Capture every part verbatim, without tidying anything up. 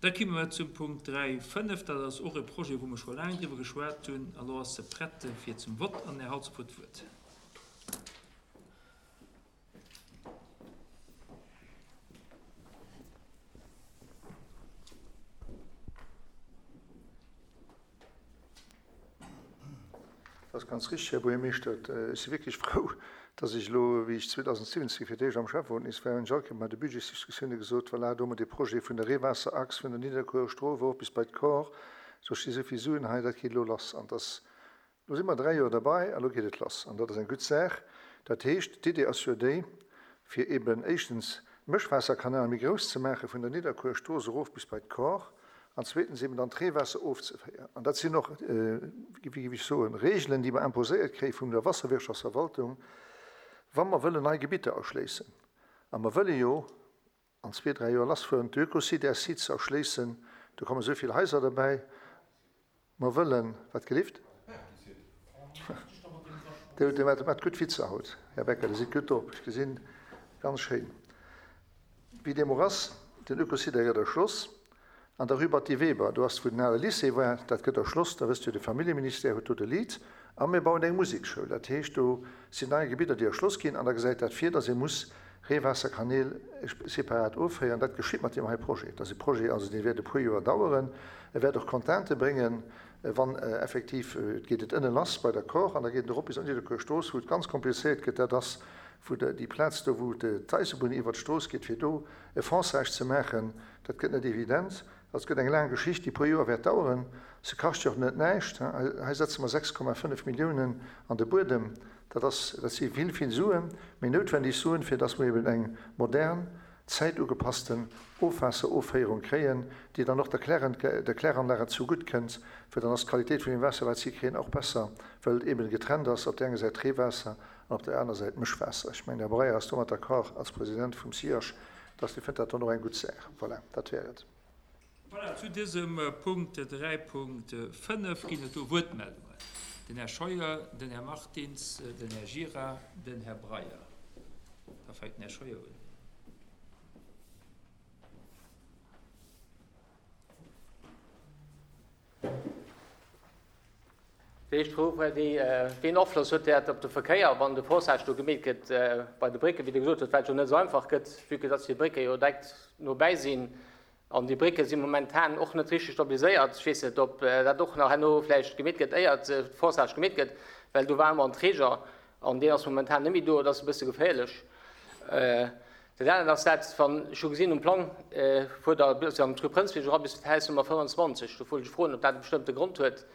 Da komme mer zum Punkt dräi fënnef. Dat ass och e Projet, wou mer scho laang driwwer geschwat hunn. A lo ass se prett fir zum Vott an den Här Halsdorf huet d'Wuert. Dat ass ganz richtig, Här Buergermeeschter. Ech si wierklech frou, dass ech elo, wéi ech zweedausendsiwwenzéng fir d'éischt am Schäfferot nees war, hunn ech all Kéier bei de Budgetsdiskussioune gesot, voilà, do hu mer dee Projet vun der Reewaasserachs vun der Nidderkuerer Strooss erof bis bei d'Kor, do sti sou vill Suen hei, dat geet elo lass. An dass, elo si mer dräi Joer derbei a lo geet et lass. An dat ass eng gutt Saach. Dat heescht, d'Idee ass jo déi, fir eeben éischtens d'Mëschwaasserkanal méi grouss ze maache vun der Nidderkuerer Strooss erof bis bei d'Kor, an zweetens eben dann d'Reewaasser ofzeféieren. An dat sinn och, wéi géif ech soen, Regeln, déi mer imposéiert kréie vun der Wasserwirtschaftsverwaltung, wa mer wëllen nei Gebitter erschléissen. A mer wëlle jo an zwee, dräi Joer lassfueren, d'Ökosider-Site ze erschléissen. Do komme sou vill Haiser derbäi. Mer wëllen, wat gelift? Dir hutt mat gutt Witzer haut, Här Becker, Dir sidd gutt drop, ech gesinn, ganz schéin. Wéi deem och ass, den Ökosider gëtt erschloss. An der Rue Batty Weber, do ass, wou den ale Lycée war, dat gëtt erschloss, da wësst Dir, de Familljeministère huet do de Lead. A mir bauen eng Musekschoul, dat heescht, do sinn nei Gebidder, déi erschloss ginn. An da gesäit dat vir, datt ee muss Reewaasserkanäl separat offéieren. Dat geschitt mat deem hei Projet. Dat ass e Projet, also dee wäert e puer Joer daueren. E wäert och Contraintë bréngen, wann effektiv, et geet et ënne lass bei der Kor an da geet et erop bis an d'Nidderkuer Strooss, wou et ganz komplizéiert gëtt. Dat ass wou déi Plaz do, wou d'Eisebunn iwwert d'Strooss geet, fir do e Fonçage ze maachen, dat gëtt net evident. Dat gëtt eng laang Geschicht, déi e puer Joer wäert daueren. Se kascht jo och net näischt. Hei setze mer sechs Komma fënnef Milliounen an de Buedem. Dat ass, dat si vill, vill Suen, mee noutwendeg Suen, fir dass mer eben eng modern, zäitugepassten Ofwaasserofféierung kréien, déi dann och der Kläranlage zugutt kënnt, well dann ass d'Qualitéit vun dem Waasser, wat si kréien, och besser, well et eben getrennt ass, op där enger Säit d'Reewaasser an op der aner Säit d'Mëschwaasser. Ech mengen, de Här Breyer ass domat d'accord als President vum C I H, dass dee fënnt dat dann och eng gutt Saach. Voilà, dat wär et. Voilà, zu dësem Punkt dräi Punkt fënnef ginn et do Wuertmeldungen. Den Här Scheuer, den Här Martins, den Här Gira, den Här Breyer. Da fänkt den Här Scheuer un. Déi éischt Fro war déi, Wéi en Afloss huet dat op de Verkéier, wann de Forçage do gemeet gëtt bei de Brécken, wéi Der gesot hutt, wat jo net esou einfach gëtt, vue que dass déi Brécke jo direkt nobäi sinn an déi Brécke si momentan och net richteg stabiliséiert. Ech weess net, ob dat och nach herno vläicht gemeet gëtt, éiert de Forçage gemeet gëtt, well do war ëmmer en Träger an deen ass momentan net méi do. Dat ass e bësse geféierlech. Dat anert ass dat, wann ech hu gesinn um Plang, fuert Der bis an d'Rue Prënzbierg era bis d'Haus Nummer fënnwanzwanzeg. Do wollt ech froen, ob dat e bestëmmte Grond huet,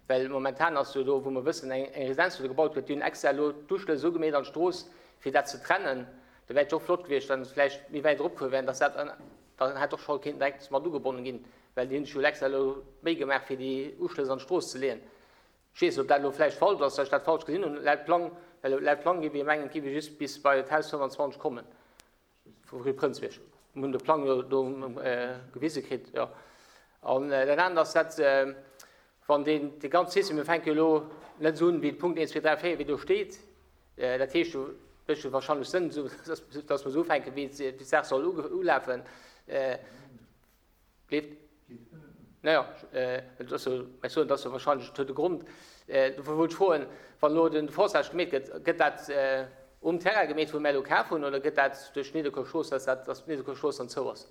well momentan ass jo do, wou mer wëssen, eng Residenz, wou do gebaut gëtt, déi hunn extra elo d'Uschlëss esou gemeet an d'Strooss, fir dat ze trennen. Da wär et jo och flott gewiescht, wann se vläicht méi wäit eropgefuer wären, dass dat dann hätt och scho kéinten direkt mat ugebonnen ginn, well déi hunn sech jo extra elo d'Méi gemaach, fir déi Uschlëss an d'Strooss ze leeën. Ech weess net, ob dat elo vläicht falsch ass, dass ech dat falsch gesinn hunn laut Plang, well laut Plang géif ee mengen, et géif ee just bis bei d'Haus fënnwanzwanzeg kommen vu Rue Prënzbierg. Mir hunn de Plang jo do gewise kritt, jo. An dat anert ass dat, wann deen, dee ganze System, mir fänke jo elo net esou un wéi de Punkt eent, zwee, dräi, véier, wéi do steet, dat heescht jo, mécht jo wahrscheinlech Sënn, esou, dass, dass mer esou ufänken, wéi d'Saach soll ulafen. Leeft? Naja, et ass jo, ech soen, dat ass jo wahrscheinlech, et huet e Grond. Dofir wollt ech froen, wann elo den Forçage gemeet gëtt, gëtt dat um Terrain gemeet, wou mir elo kaf hunn, oder gëtt dat duerch d'Nidderkuer Strooss, dass dat, dass d'Nidderkuer Strooss dann zou ass?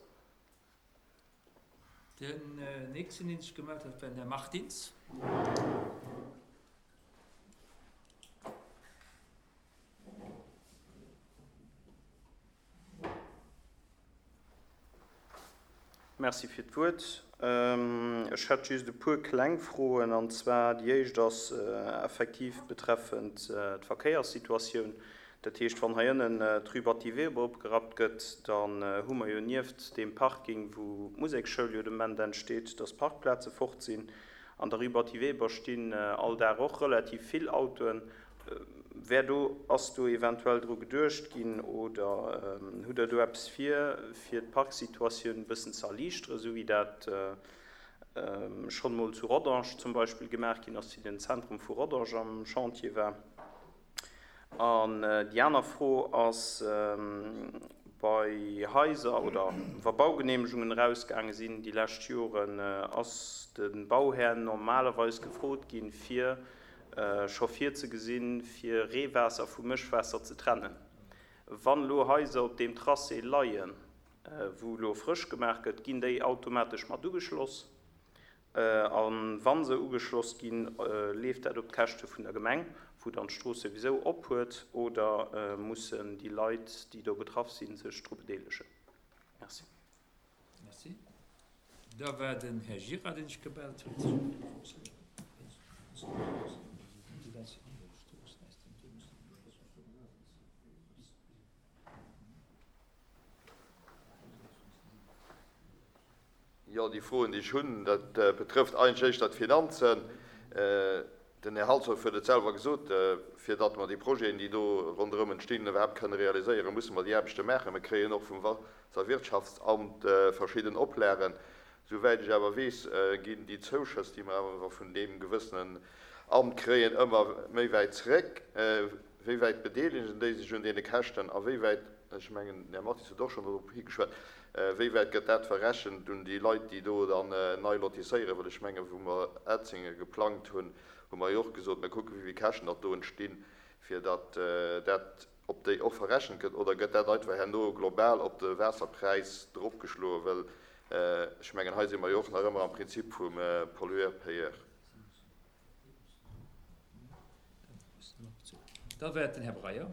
Den nächsten, deen sech gemellt hat, war den Här Martins. Merci fir d'Wuert. Ech hätt just e puer kleng Froen, an zwar déi éischt ass effektiv betreffend d'Verkéierssituatioun. Dat heescht, wann hei ënnen d'Rue Batty Weber opgerappt gëtt, dann hu mer jo nieft deem Parking, wou d'Musekschoul jo de Moment entsteet, dass Parkplaze fort sinn. An der Rue Batty Weber stinn all Dag och relativ vill Autoen. Wär do, ass do eventuell dru geduecht ginn oder hutt Der do eppes vir, fir d'Parksituatioun e bëssen ze erliichteren, esou wéi dat schonn emol zu Rodange zum Beispill gemaach ginn ass, wéi den Zentrum vu Rodange am Chantier war? An déi aner Fro ass Bei Haiser oder wa Baugenehmegungen erausgaange sinn déi lescht Joren, ass de Bauhär normalerweis gefrot ginn, fir scho virzegesinn, fir Reewaasser vu Mëschwaasser ze trennen. Wann elo Haiser op deem Tracé leien, wou elo frësch gemaach gëtt, ginn déi automatesch mat ugeschloss. A wa se ugeschloss ginn, leeft dat op d'Käschte vun der Gemeng, wou dann d'Strooss souwisou op huet, oder mussen déi Leit, déi do betraff sinn, sech dru bedeelegen? Merci. Merci. Da war den Här Gira, deen sech gemellt huet. Jo, déi Froen, déi ech hunn, dat betrëfft eigentlech éischter d'Finanzen. Den Här Halsdorf huet et selwer gesot, fir datt mer déi Projeten, déi do ronderëm entstinn, iwwerhaapt kënne realiséieren, musse mer déi Aarbechte maachen. Mir kréien och vum Waasserwirtschaftsamt verschidden Oplagen. Souwäit ech awer weess, ginn déi Zouschëss, déi mer awer vun deem gewëssenen Amt kréien, ëmmer méi wäit zeréck. Wéi wäit bedeelegen déi sech un deene Käschten a wéi wäit, ech mengen, den Här Mathis huet och schonn dorop higeschwat, wéi wäit gëtt dat verrechent un déi Leit, déi do dann nei lotisséieren? Well ech mengen, wou mer Etzinge geplangt hunn, hu mer jo och gesot, mir kucken, wéi vill Käschten datt do entstinn, fir datt dat op déi och verrechent gëtt. Oder gëtt dat einfach herno global op de Waasserpräis dropgeschloen? Well ech mengen, hei si mer jo och nach ëmmer am Prinzip vum Pollueur-payeur. Da wäert den Här Breyer.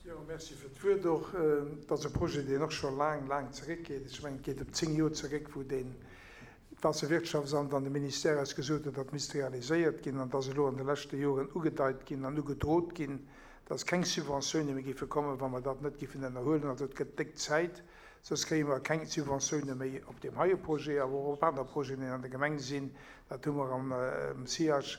Jo, merci fir d'Wuert och. Et ass e Projet, deen och scho laang, laang zeréckgeet. Ech mengen, et geet ëm zéng Joer zeréck, wou deen d'Waasserwirtschaftsamt an de Ministère eis gesot huet, dat misst realiséiert ginn. An et ass elo an de leschte Joren ugedeit ginn an ugedrot ginn, dass keng Subventioune méi géife kommen, wa mer dat net géifen ënnerhuelen. Also et gëtt déck Zäit, soss kréie mer keng Subventioune méi op deem heie Projet, awer och op aner Projeten, déi an der Gemeng sinn. Dat hu mer am C I H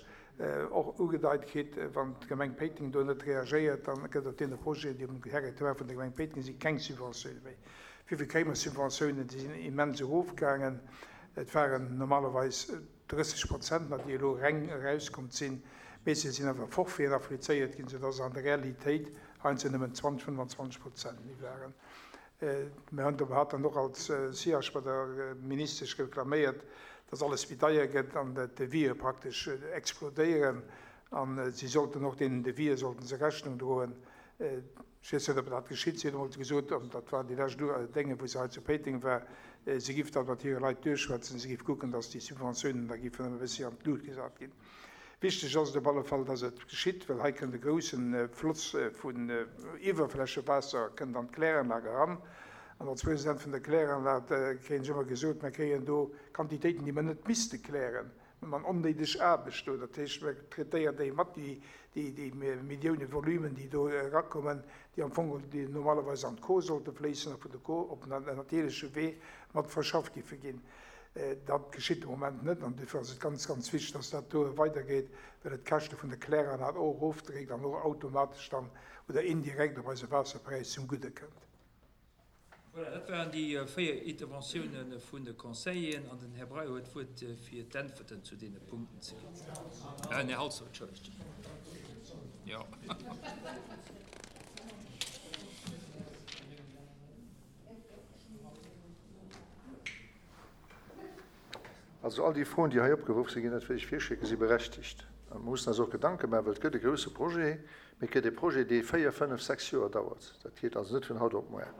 och ugedeit kritt. Wann d'Gemeng Péiteng do net reagéiert, dann gëtt op deene Projeten, déi um Territoire vun der Gemeng Péiteng sinn, keng Subventioune méi. Wéi vill kréie mer Subventiounen? Déi sinn immens erofgaangen. Et waren normalerweis drësseg Prozent, nach déi elo reng erauskomm sinn. Mee se sinn awer Forfaiten applizéiert ginn, sodass an der Realitéit heiansdo nëmmen zwanzeg, fënnwanzwanzeg Prozent méi waren. Mir hunn hat dann och als C I H bei der Ministesch reklaméiert, dass alles méi deier gëtt an d'Devië praktesch explodéieren. An si sollten och deenen Devië sollten se Rechnung droen. Ech weess net, ob dat geschitt. Si hunn emol gesot, an dat war déi lescht Dénge, wou se hei zu Péiteng war, si giff dat mat hire Leit duerchschwätzen, si giff kucken, dass déi Subventiounen da giffen ëmmer e bëssi an d'Lut gesat ginn. Wichteg ass et op alle Fall, dass et geschitt, well hei kënnt e groussen Floss vun Iwwerflächewaasser kënnt an d'Kläranlag eran. An als President vun der Kläranlag kréien ech ëmmer gesot, mir kréien do Quantitéiten, déi mer net misste klären. Mir man onnéideg Aarbecht do. Dat heescht, mir traitéieren déi mat, déi, déi, déi Millioune Volumen, déi do erakommen, déi am Fong déi normalerweis an d'Ko sollte fléissen a vun der Ko op den natierleche Wee mat verschafft giffe ginn. Dat geschitt im Moment net an dofir ass et ganz, ganz wichteg, dass dat do weitergeht, well et d'Käschte vun der Kläranlag och erofdréckt an och automatesch dann oder indirekt op eise Waasserpräis zum Gudde kënnt. Voilà, dat waren déi véier Interventiounen vun de Conseilleren an den Här Breyer huet d'Wuert fir d'Äntwerten zu deene Punkten ze ginn. Äh, Här Halsdorf, entschëllegt. Ja. Also all déi Froen, déi hei opgeworf sinn, ginn dat wéi ech virschicke, si berechtigt. An man muss eis och Gedanke machen, well et gëtt e grouse Projet, mee et gëtt e Projet, dee véier, fënnef, sechs Joer dauert. Dat geet also net vun haut op muer.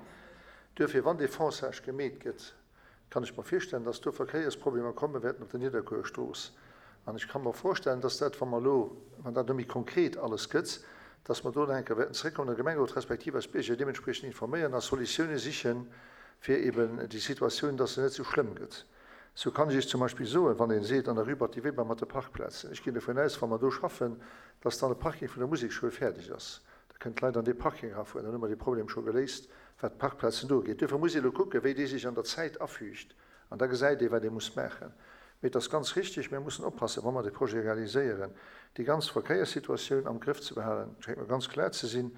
Duerfir, wann dee Fonçage gemeet gëtt, kann ech mir virstellen, dass do Verkéiersproblemer komme werden op der Nidderkuerstrooss. An ech kann mir vorstellen, dass dat, wann mer lo, wann dat méi konkret alles gëtt, dass mer do enke werden zréckkommen, der Gemengerot respektiv als Bierger deementsprechend informéieren a Solutioune sichen, fir eben déi Situatioun, dass se net so schlimm gëtt. So kann ich zum Beispiel soen, wann een seet an der Rue Batty Weber mat de Parkplätzen. Ech ginn davon aus, wann mer do schaffen, dass dann de Parking vun der Musikschoul fäerdeg ass. Da kënnt d'Leit an de Parking rafueren, dann hu mer de Problem scho geléist, wat d'Parkplätzen do geht. Dofir muss ich lo kucken, wéi déi sich an der Zäit afügt. An da gesäit ee, wat ee muss maachen. Mee dat ass ganz richtig, mir müssen oppassen, wann wir de Projet realisieren, die ganz Verkehrssituation am Griff zu behalen, schenkt mir ganz klar ze sinn.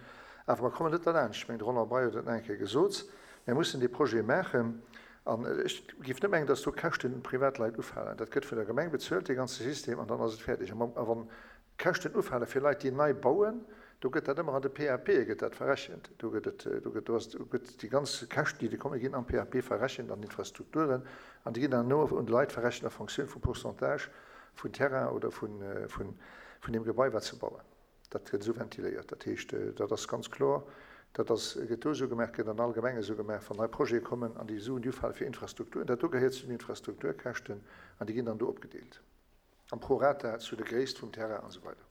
Awer mer kommen net derlaanscht. Ech mengen, de Roland Breyer huet et nach eng Kéier gesot, Mir mussen dee Projet maachen. An ech géif net mengen, dass do Käschten Privatleit ufalen. Dat gëtt vun der Gemeng bezuelt, dee ganze System, an dann ass et fäerdeg. A wann Käschten ufale fir Leit, déi nei bauen, do gëtt dat ëmmer an de PAPe gëtt dat verrechent. Do gëtt et, do gëtt, do ass, do gëtt déi ganz Käschten, déi do kommen, ginn am PAP verrechent an Infrastrukturen, an déi ginn dann no un d'Leit verrechent a Fonctioun vum Pourcentage vun Terrain oder vun, vun, vun deem Gebai, wat se bauen. Dat gëtt esou ventiléiert. Dat heescht, dat ass ganz kloer, dat ass, gëtt do esou gemaach, gëtt an all Gemeng esou gemaach, wann nei Projete kommen an déi Suen, déi ufale fir Infrastrukturen, dat do gehéiert zu den Infrastrukturkäschten an déi ginn dann do opgedeelt am Prorata zu der Gréisst vum Terrain an esou weider.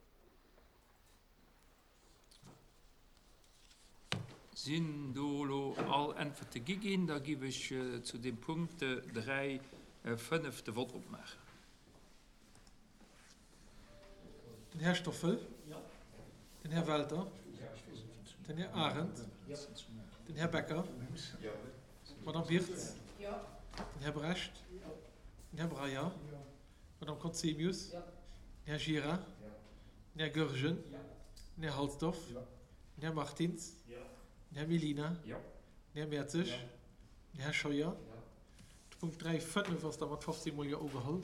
Sinn do elo all Äntwerte gi ginn? Da giff ech zu deem Punkt dräi fënnef de Vott opmaachen. Den Här Stoffel. Den Här Welter. Den Här Arendt. Den Här Becker. D'Madame Wirtz. Den Här Brecht. Den Här Breyer. D'Madame Conzemius. Den Här Gira. Den Här Goergen. Den Här Halsdorf. Den Här Martins. Den Här Mellina. Den Här Mertzig. Den Här Scheuer. De Punkt dräi fënnef ass da mat fofzéng mol Jo ugeholl.